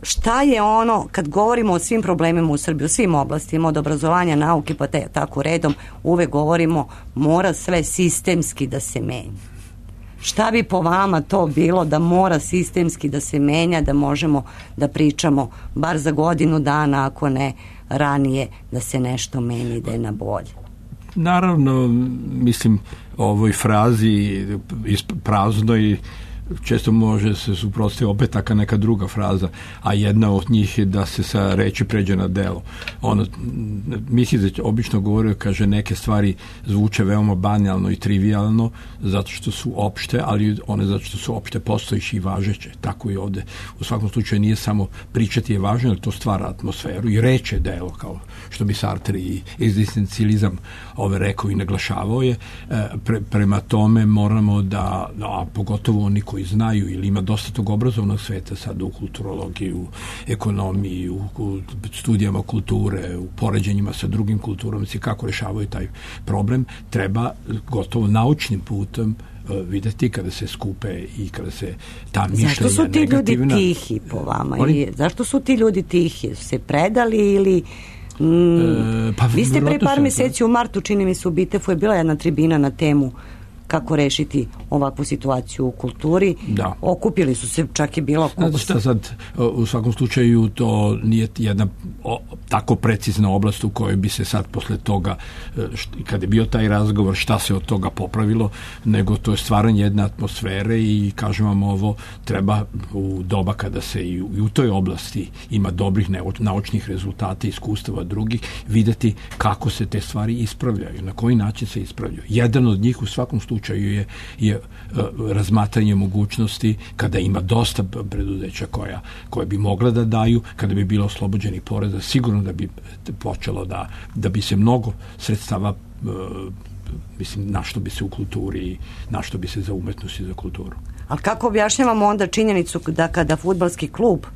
šta je ono, kad govorimo o svim problemima u Srbiji, u svim oblastima, od obrazovanja, nauke, pa te, tako redom, uvek govorimo mora sve sistemski da se menja. Šta bi po vama to bilo da mora sistemski da se menja, da možemo da pričamo bar za godinu dana, ako ne ranije, da se nešto meni, da je na bolje? Naravno, mislim, ovoj frazi praznoj često može se suprotstaviti opet taka neka druga fraza, a jedna od njih je da se sa reči pređe na delo. Ono, mislim da obično govorio, kaže, neke stvari zvuče veoma banalno i trivialno zato što su opšte, ali one zato što su opšte postojiše i važeće. Tako i ovde. U svakom slučaju nije samo pričati je važno, jer to stvara atmosferu i reč je delo, kao što bi Sartre i egzistencializam ove rekao i naglašavao je. Pre, prema tome moramo da, a pogotovo oni koji znaju ili ima dosta tog obrazovnog sveta sad u kulturologiji, u ekonomiji, u, u studijama kulture, u poređenjima sa drugim kulturama, kako rešavaju taj problem, treba gotovo naučnim putem videti kada se skupe i kada se ta mišljenja negativna... Zašto su ti negativna... ljudi tihi po vama? Oni... Zašto su ti ljudi tihi? Su se predali ili... Mm, e, pa, vi ste pre par meseci u martu, čini mi se, u Bitefu je bila jedna tribina na temu kako rešiti ovakvu situaciju u kulturi. Da. Okupili su se, čak i bilo... Znate šta sad, u svakom slučaju to nije jedna o, tako precizna oblast u kojoj bi se sad posle toga, št, kad je bio taj razgovor, šta se od toga popravilo, nego to je stvaranje jedne atmosfere i kažem vam ovo, treba u doba kada se i u, i u toj oblasti ima dobrih naučnih rezultata, iskustava drugih, videti kako se te stvari ispravljaju, na koji način se ispravljaju. Jedan od njih u svakom slučaju je, je uh, razmatranje mogućnosti kada ima dosta preduzeća koja, koje bi mogla da daju, kada bi bilo oslobođeni poreza, sigurno da bi počelo da, da bi se mnogo sredstava uh, mislim, na što bi se u kulturi, na što bi se za umetnost i za kulturu. Ali kako objašnjavamo onda činjenicu da kada fudbalski klub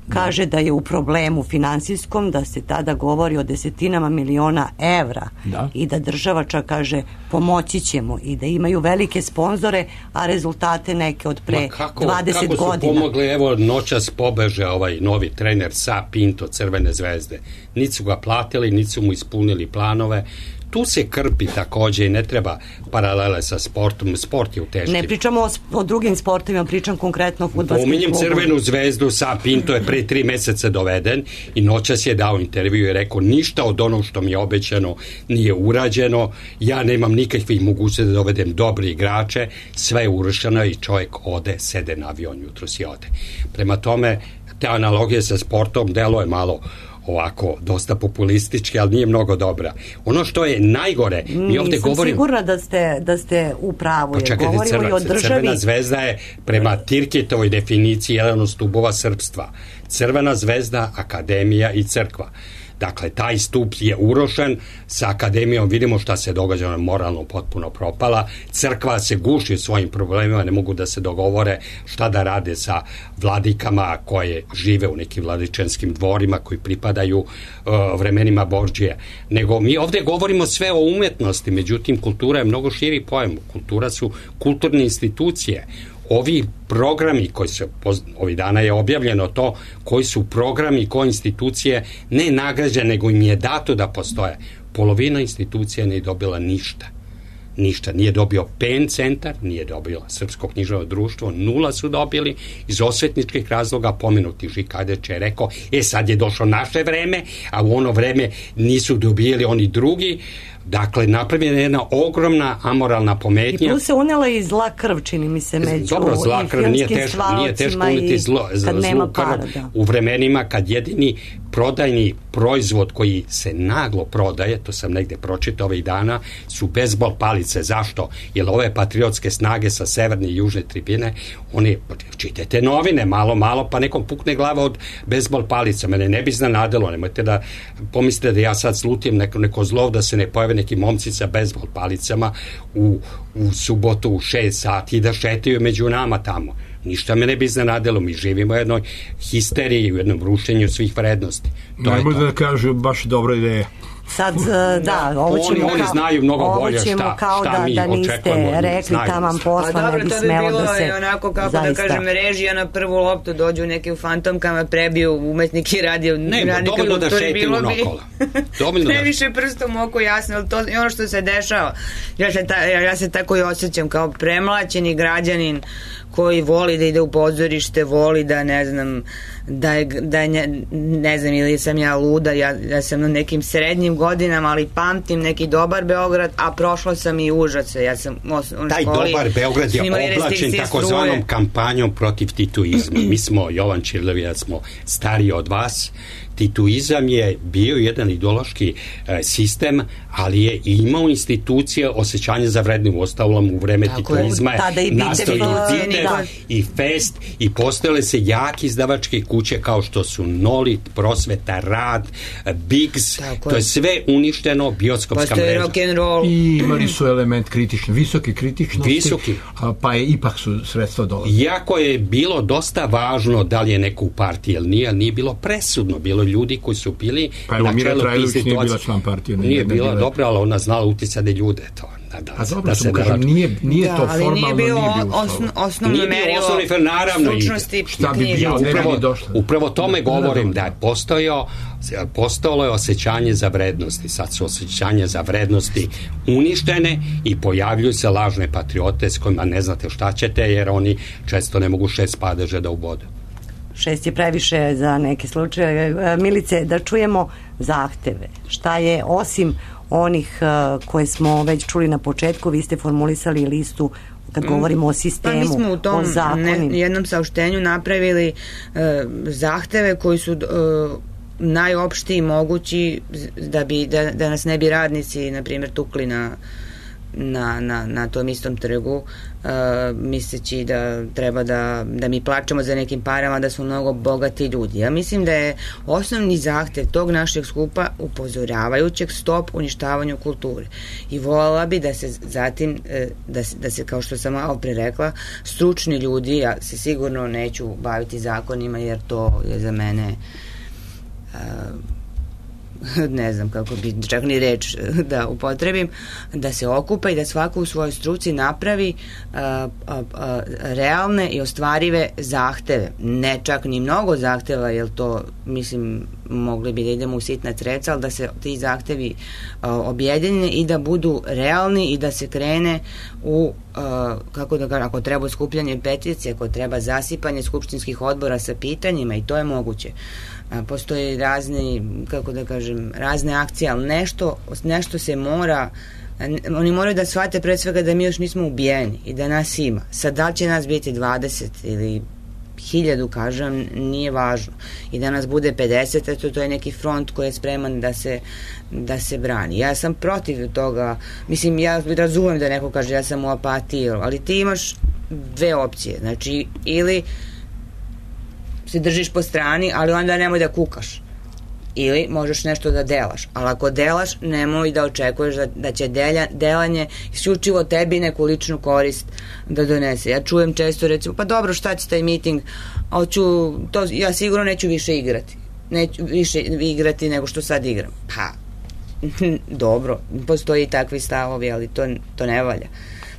kaže da je u problemu finansijskom, da se tada govori o desetinama miliona evra da. I da država čak kaže pomoći ćemo i da imaju velike sponzore, a rezultate neke od pre kako, dvadeset godina. Kako su pomogli, evo noćas pobeže ovaj novi trener Sa Pinto Crvene zvezde. Niti su ga platili, niti su mu ispunili planove. Tu se krpi takođe i ne treba paralele sa sportom. Sport je u teškim. Ne pričamo o, o drugim sportovima, pričam konkretno o fudbalskim klubom. Pominjem Crvenu zvezdu, Sa Pinto je pre tri meseca doveden i noćas je dao intervju i rekao ništa od onog što mi je obećano nije urađeno, ja nemam nikakvih mogućnosti da dovedem dobre igrače, sve je urušeno i čovjek ode, sede na avion, jutro si ode. Prema tome, te analogije sa sportom delo je malo ovako dosta populistički, ali nije mnogo dobra. Ono što je najgore, mi ovde Nisam govorimo... sigurna da ste, da ste u pravu. Pa čekajte, govorimo crva, i o državi... Crvena zvezda je prema Tirketovoj definiciji jedan od stubova srpstva. Crvena zvezda, akademija i crkva. Dakle, taj stup je urošen, sa akademijom vidimo šta se događa, ona je moralno potpuno propala, crkva se guši svojim problemima, ne mogu da se dogovore šta da rade sa vladikama koje žive u nekim vladičanskim dvorima koji pripadaju uh, vremenima Borđije. Nego mi ovde govorimo sve o umetnosti, međutim kultura je mnogo širi pojam, kultura su kulturne institucije. Ovi programi koji se, ovih dana je objavljeno to, koji su programi, koje institucije ne nagrađene, nego im je dato da postoje. Polovina institucija nije dobila ništa. Ništa. Nije dobio P E N centar, nije dobila Srpsko književno društvo, nula su dobili iz osvetničkih razloga. Pomenuti Žikadeć je rekao, e sad je došlo naše vreme, a u ono vreme nisu dobijeli oni drugi. Dakle, napravljena je jedna ogromna amoralna pometnja. I tu se unela i zla krv, čini mi se, među Dobro, zla krv, nije teško, nije teško uniti zlo, zlu krv u vremenima kad jedini prodajni proizvod koji se naglo prodaje, to sam negde pročitao ovih dana, su bejzbol palice. Zašto? Jer ove patriotske snage sa severne i južne tribine, oni, čitajte novine, malo, malo, pa nekom pukne glava od bejzbol palica. Mene ne bi iznenadilo, nemojte da pomislite da ja sad slutim neko, neko zlov da se ne pojave neki momci sa bejzbol palicama u, u subotu u šest sati i da šetaju među nama tamo. Ništa me ne bi iznenadilo, mi živimo u jednoj histeriji, u jednom rušenju svih vrednosti. Najbolje da kažu baš dobra ideja. Sad, da, ovo ćemo, oni, oni znaju mnogo bolje šta, kao šta da, mi da niste očekujemo. Rekli tamam posla, ne bi smelo da se... Dobro, onako kako zaista. Da kažem, režija na prvu loptu dođu neke u fantomkama, prebiju umetniki radio. Ne, dovoljno da šetimo nokola. Ne više prstom oko jasno, ali to je ono što se dešava. Ja se, ta, ja se tako i osjećam kao premlaćeni građanin koji voli da ide u pozorište, voli da ne znam da je, da je ne, ne znam ili sam ja luda, ja, ja sam na nekim srednjim godinama, ali pamtim neki dobar Beograd, a prošla sam i užase. Ja sam u taj školi, dobar Beograd je oblačen takozvanom kampanjom protiv tituizma. Mi smo, Jovan Čirlev, ja smo stariji od vas. Tituizam je bio jedan ideološki e, sistem, ali je imao institucije osjećanja za vrednim ostavlom u vreme tako tituizma je nastao i Titev i Fest i postojale se jaki izdavačke kuće kao što su Nolit, Prosveta, Rad, Biggs, tako to je sve uništeno, bioskopska mreža. Rock'n'roll. I imali su element kritični, visoki kritičnosti, visoki. Pa je ipak su sredstva dolazila. Iako je bilo dosta važno da li je neko u partiji, ali nije, nije bilo presudno, bilo ljudi koji su bili pa evo, Mira Trajlović nije bila član partije. Nije, nije bila dobra, ali ona znala uticati ljude to. Da, da, a dobro, da se kažem, nije, nije da, to formalno, nije bilo osno, osnovno merilo naravno, stručnosti. Šta bi bilo, upravo, došlo. Upravo tome da, govorim da, da, da je postojao postojalo je osjećanje za vrednosti. Sad su osjećanje za vrednosti uništene i pojavljuju se lažne patriote s kojima ne znate šta ćete, jer oni često ne mogu šest padeža da ubode. Šest je previše za neke slučaje. Milice, da čujemo zahteve. Šta je, osim onih uh, koje smo već čuli na početku, vi ste formulisali listu kad govorimo o sistemu, pa mi smo u tom ne, jednom saopštenju napravili uh, zahteve koji su uh, najopštiji mogući da, bi, da, da nas ne bi radnici, na primjer, tukli na Na, na, na tom istom trgu, uh, misleći da treba da, da mi plačemo za nekim parama, da smo mnogo bogati ljudi. Ja mislim da je osnovni zahtev tog našeg skupa upozoravajućeg stop uništavanju kulture. I voljela bi da se zatim, da se, da se kao što sam malo pre rekla, stručni ljudi, ja se sigurno neću baviti zakonima, jer to je za mene uh, ne znam kako bi čak ni reč da upotrebim, da se okupa i da svako u svojoj struci napravi a, a, a, realne i ostvarive zahteve. Ne čak ni mnogo zahteva, jer to, mislim, mogli bi da idemo u sitna treca, ali da se ti zahtevi a, objedine i da budu realni i da se krene u, a, kako da kažem, ako treba skupljanje peticije, ako treba zasipanje skupštinskih odbora sa pitanjima, i to je moguće. Postoje razni, kako da kažem, razne akcije, ali nešto, nešto se mora, oni moraju da shvate pre svega da mi još nismo ubijeni i da nas ima. Sad, da li će nas biti dvadeset ili hiljadu, kažem, nije važno. I da nas bude pedeset, eto, to je neki front koji je spreman da se, da se brani. Ja sam protiv toga, mislim, ja razumem da neko kaže ja sam u apatiji, ali ti imaš dve opcije, znači, ili se držiš po strani, ali onda nemoj da kukaš. Ili možeš nešto da delaš. Ali ako delaš, nemoj da očekuješ da, da će delja, delanje isključivo tebi neku ličnu korist da donese. Ja čujem često, recimo, pa dobro, šta će taj miting? Hoću, to, ja sigurno neću više igrati. Neću više igrati nego što sad igram. Pa, dobro, postoji takvi stavovi, ali to, to ne valja.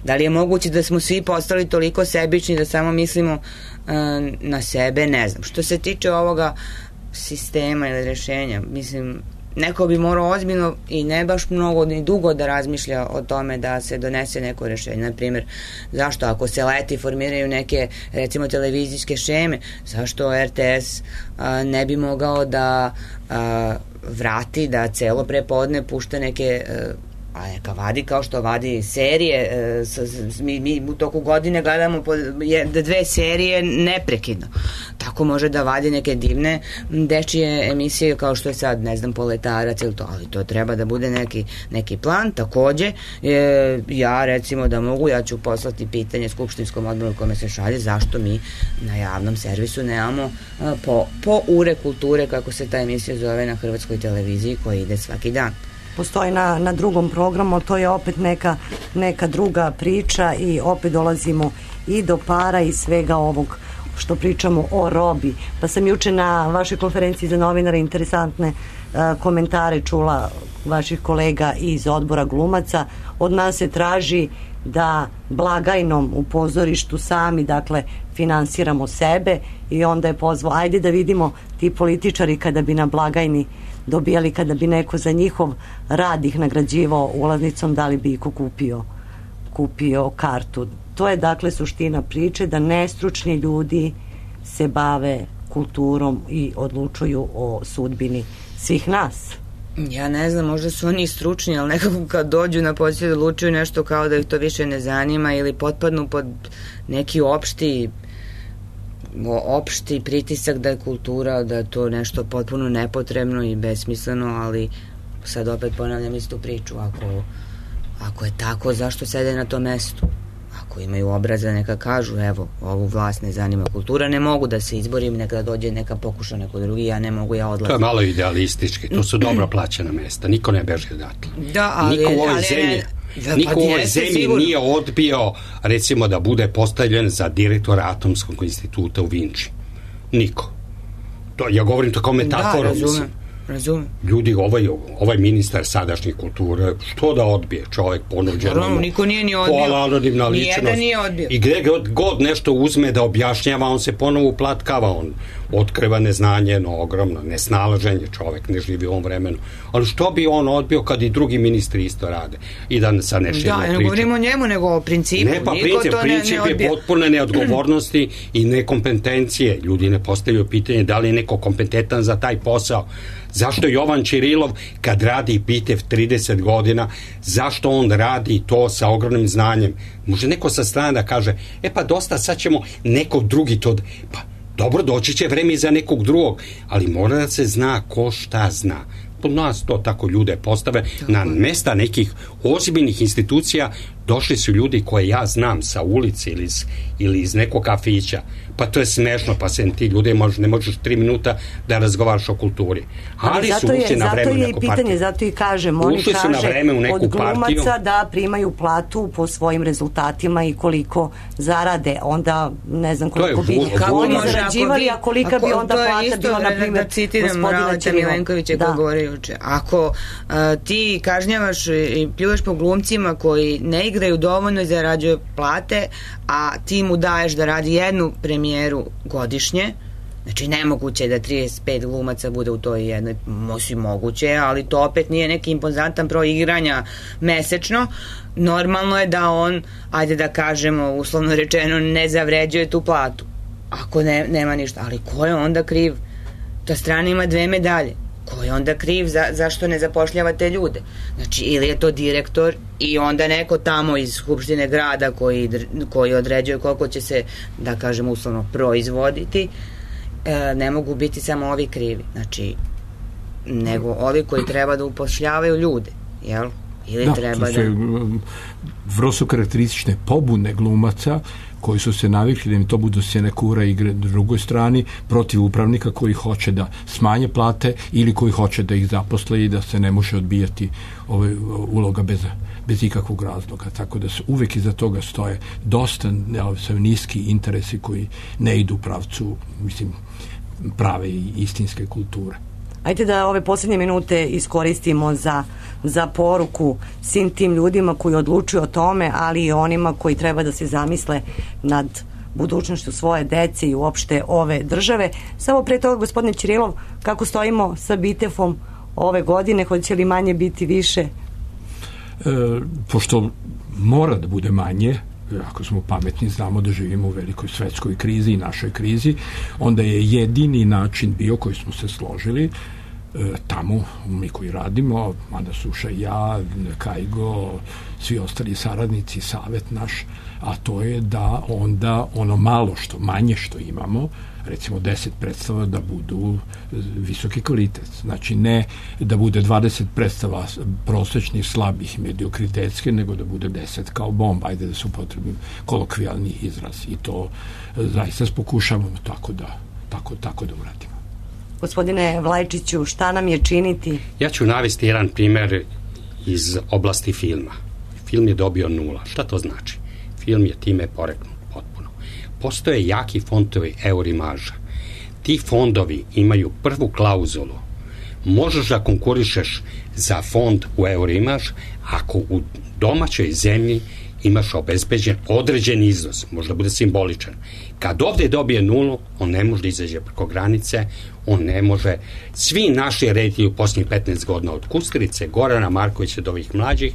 Da li je moguće da smo svi postali toliko sebični da samo mislimo uh, na sebe? Ne znam. Što se tiče ovoga sistema ili rešenja, mislim, neko bi morao ozbiljno i ne baš mnogo ni dugo da razmišlja o tome da se donese neko rešenje. Naprimjer, zašto ako se leti formiraju neke, recimo, televizijske šeme, zašto R T S a, ne bi mogao da a, vrati, da celo prepodne pušta neke a, a neka vadi kao što vadi serije, e, s, s, mi, mi u toku godine gledamo po, je, dve serije neprekidno. Tako može da vadi neke divne dečije emisije kao što je sad, ne znam, Poletarac ili to, ali to treba da bude neki, neki plan. Takođe, e, ja recimo da mogu, ja ću poslati pitanje skupštinskom odboru kome se šalje zašto mi na javnom servisu nemamo a, po, po ure kulture, kako se ta emisija zove na hrvatskoj televiziji, koja ide svaki dan. Postoji na, na drugom programu, to je opet neka, neka druga priča i opet dolazimo i do para i svega ovog što pričamo o robi. Pa sam juče na vašoj konferenciji za novinare interesantne uh, komentare čula vaših kolega iz odbora glumaca. Od nas se traži da blagajnom u pozorištu sami, dakle, finansiramo sebe, i onda je pozvao, ajde da vidimo ti političari kada bi na blagajni dobijali, kada bi neko za njihov rad ih nagrađivao ulaznicom, da li bi iko kupio kupio kartu. To je dakle suština priče, da nestručni ljudi se bave kulturom i odlučuju o sudbini svih nas. Ja ne znam, možda su oni stručni, ali nekako kad dođu na posao odlučuju nešto kao da ih to više ne zanima ili potpadnu pod neki opšti opšti pritisak da je kultura, da je to nešto potpuno nepotrebno i besmisleno, ali sad opet ponavljam istu priču. Ako, ako je tako, zašto sede na tom mestu? Ako imaju obraza, neka kažu, evo, ovu vlast ne zanima kultura, ne mogu da se izborim, neka dođe, neka pokuša neko drugi, ja ne mogu, ja odlazim. To je malo idealistički, to su dobro plaćena mesta, niko ne beže odatle. Da, ali... Niko u ovoj ali, zemlji, da, niko pa u ovoj jeste, zemlji sigurno. nije odbio, recimo, da bude postavljen za direktora Atomskog instituta u Vinči. Niko. To, ja govorim to kao metaforu. Da, razumem. Razumem. Ljudi, ovaj, ovaj ministar sadašnje kulture, što da odbije čovjek ponuđeno? Naravno, niko nije ni odbio. Pola anonimna ličnost. Nijedan nije odbio. I gde god, god nešto uzme da objašnjava, on se ponovo uplatkava, on otkriva neznanje, jedno ogromno nesnalaženje, čovjek ne živi u ovom vremenu. Ali što bi on odbio kad i drugi ministri isto rade? I da sa neširno Da, priča. ne govorimo o njemu, nego o principu. Ne, pa niko princip, to princip ne, ne je potpune neodgovornosti i nekompetencije. Ljudi ne postavljaju pitanje da li je neko kompetentan za taj posao. Zašto Jovan Čirilov kad radi Pitev trideset godina, zašto on radi to sa ogromnim znanjem? Može neko sa strane da kaže, e pa dosta, sad ćemo nekog drugi to... Pa dobro, doći će vreme i za nekog drugog, ali mora da se zna ko šta zna. Po nas to tako ljude postave. Tako. Na mesta nekih ozbiljnih institucija došli su ljudi koje ja znam sa ulice ili iz, ili iz nekog kafića. Pa to je smešno, pa se ti ljudi možeš, ne možeš tri minuta da razgovaraš o kulturi. Ali, ali su ušli na vreme u neku partiju. Zato je i pitanje, zato i kažem, oni ušli kaže od glumaca partiju. Da primaju platu po svojim rezultatima i koliko zarade, onda ne znam koliko bi oni zarađivali, a kolika bi onda plata bila, na primjer, da citiram Raleta Milenkovića koji govori juče. Ako uh, ti kažnjavaš i pljuješ po glumcima koji ne igraju dovoljno i zarađuju plate, a ti mu daješ da radi jednu premijeru godišnje, znači nemoguće je da trideset pet glumaca bude u toj jednoj, moći moguće, ali to opet nije neki impozantan broj igranja mesečno. Normalno je da on, ajde da kažemo uslovno rečeno, ne zavređuje tu platu ako ne, nema ništa, ali ko je onda kriv? Ta strana ima dve medalje. Ko je onda kriv za, zašto ne zapošljava te ljude? Znači, ili je to direktor i onda neko tamo iz Skupštine grada koji, koji određuje koliko će se, da kažem uslovno, proizvoditi, e, ne mogu biti samo ovi krivi. Znači, nego ovi koji treba da upošljavaju ljude, jel? Ili da, treba to su da... vrlo su karakteristične pobune glumaca koji su se navikli da im to budu senekura igre na drugoj strani protiv upravnika koji hoće da smanje plate ili koji hoće da ih zaposle i da se ne može odbijati ove uloga bez, bez ikakvog razloga. Tako da su uvek iza toga stoje dosta ne, niski interesi koji ne idu u pravcu, mislim, prave i istinske kulture. Ajde da ove posljednje minute iskoristimo za, za poruku svim tim ljudima koji odlučuju o tome, ali i onima koji treba da se zamisle nad budućnošću svoje dece i uopšte ove države. Samo pre toga, gospodine Čirilov, kako stojimo sa Bitefom ove godine, hoće li manje biti više? E, pošto mora da bude manje, ako smo pametni, znamo da živimo u velikoj svetskoj krizi i našoj krizi, onda je jedini način bio koji smo se složili e, tamo, mi koji radimo, Mada Suša i ja, Kajgo, svi ostali saradnici, savet naš, a to je da onda ono malo što, manje što imamo, recimo deset predstava da budu visoki kvalitet. Znači ne da bude dvadeset predstava prosečnih, slabih, mediokritetske, nego da bude deset kao bomba, ajde da su potrebni kolokvijalni izraz i to zaista pokušavamo tako da, tako, tako da uradimo. Gospodine Vlajčiću, šta nam je činiti? Ja ću navesti jedan primer iz oblasti filma. Film je dobio nula. Šta to znači? Film je time poreknut potpuno. Postoje jaki fondovi Eurimaža. Ti fondovi imaju prvu klauzulu. Možeš da konkurišeš za fond u Eurimaž ako u domaćoj zemlji imaš obezbeđen određen iznos, možda bude simboličan. Kad ovde dobije nulu, on ne može da izađe preko granice, on ne može, svi naši reditelji u posljednjih petnaest godina od Kusturice, Gorana Markovića do ovih mlađih,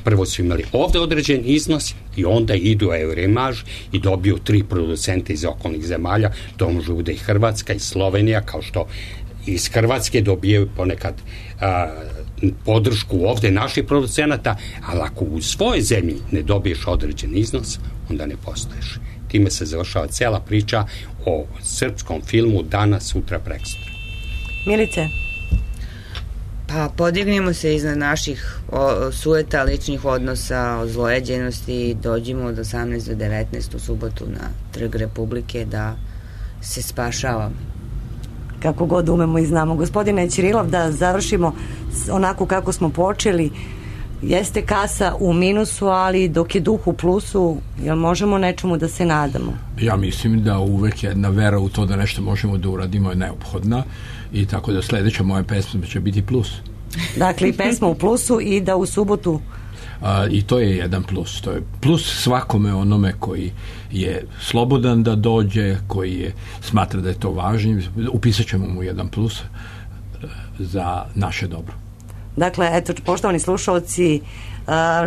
prvo su imali ovde određen iznos i onda idu u Eurimaž i dobiju tri producenta iz okolnih zemalja, to može bude i Hrvatska i Slovenija, kao što iz Hrvatske dobijaju ponekad a, podršku ovde naših producenata, ali ako u svojoj zemlji ne dobiješ određen iznos, onda ne postoješ. Time se završava cela priča o srpskom filmu danas, sutra, preksutra. Milice? Pa podignimo se iznad naših o, sueta, ličnih odnosa, ozlojeđenosti i dođimo od osamnaeste do devetnaeste u subotu na Trg Republike da se spašavamo. Kako god umemo i znamo. Gospodine Ćirilov, da završimo onako kako smo počeli, jeste kasa u minusu, ali dok je duh u plusu, jel možemo nečemu da se nadamo? Ja mislim da uvek jedna vera u to da nešto možemo da uradimo je neophodna i tako da sledeća moja pesma će biti plus. Dakle, i pesma u plusu i da u subotu... A, i to je jedan plus. To je plus svakome onome koji je slobodan da dođe, koji je, smatra da je to važno. Upisat ćemo mu jedan plus za naše dobro. Dakle, eto, poštovani slušalci,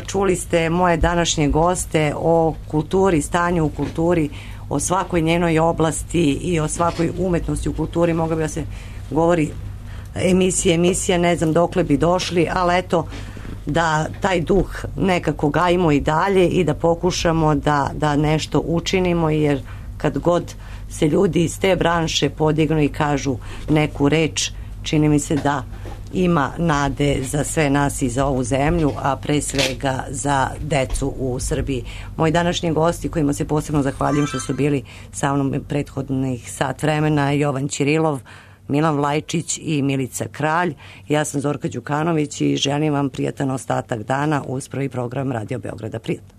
čuli ste moje današnje goste o kulturi, stanju u kulturi, o svakoj njenoj oblasti i o svakoj umetnosti u kulturi. Mogla bi da se govori emisije, emisija, ne znam dokle bi došli, ali eto, da taj duh nekako gajimo i dalje i da pokušamo da, da nešto učinimo, jer kad god se ljudi iz te branše podignu i kažu neku reč, čini mi se da ima nade za sve nas i za ovu zemlju, a pre svega za decu u Srbiji. Moji današnji gosti, kojima se posebno zahvaljujem što su bili sa mnom prethodnih sat vremena, Jovan Ćirilov, Milan Vlajčić i Milica Kralj. Ja sam Zorka Đukanović i želim vam prijatan ostatak dana uz prvi program Radio Beograda. Prijatno.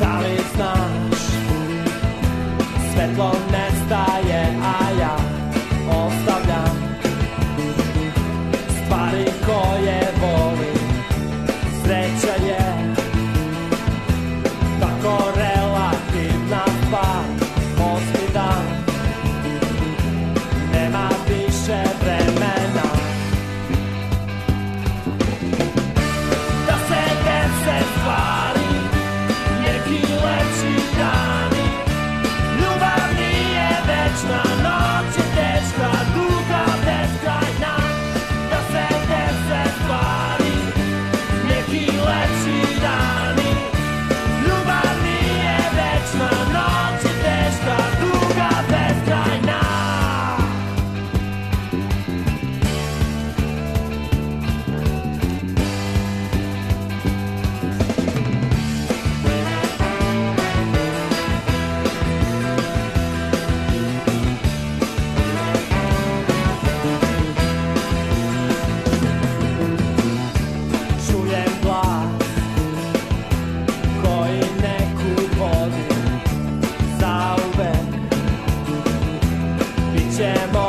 Da li znaš, svetlo nestaje, a ja ostavljam stvari koje volim. Sreća je tako relativna stvar. Osmi dan, nema više vremena da se dese stvari, neki lepši dani. Ljubav nije večna, noć je teška, duga, beskrajna. Da se dese stvari, neki lepši dani. Ljubav nije večna, noć je teška, duga, beskrajna. Čujem glas koji neku vodi zauvek. Bićemo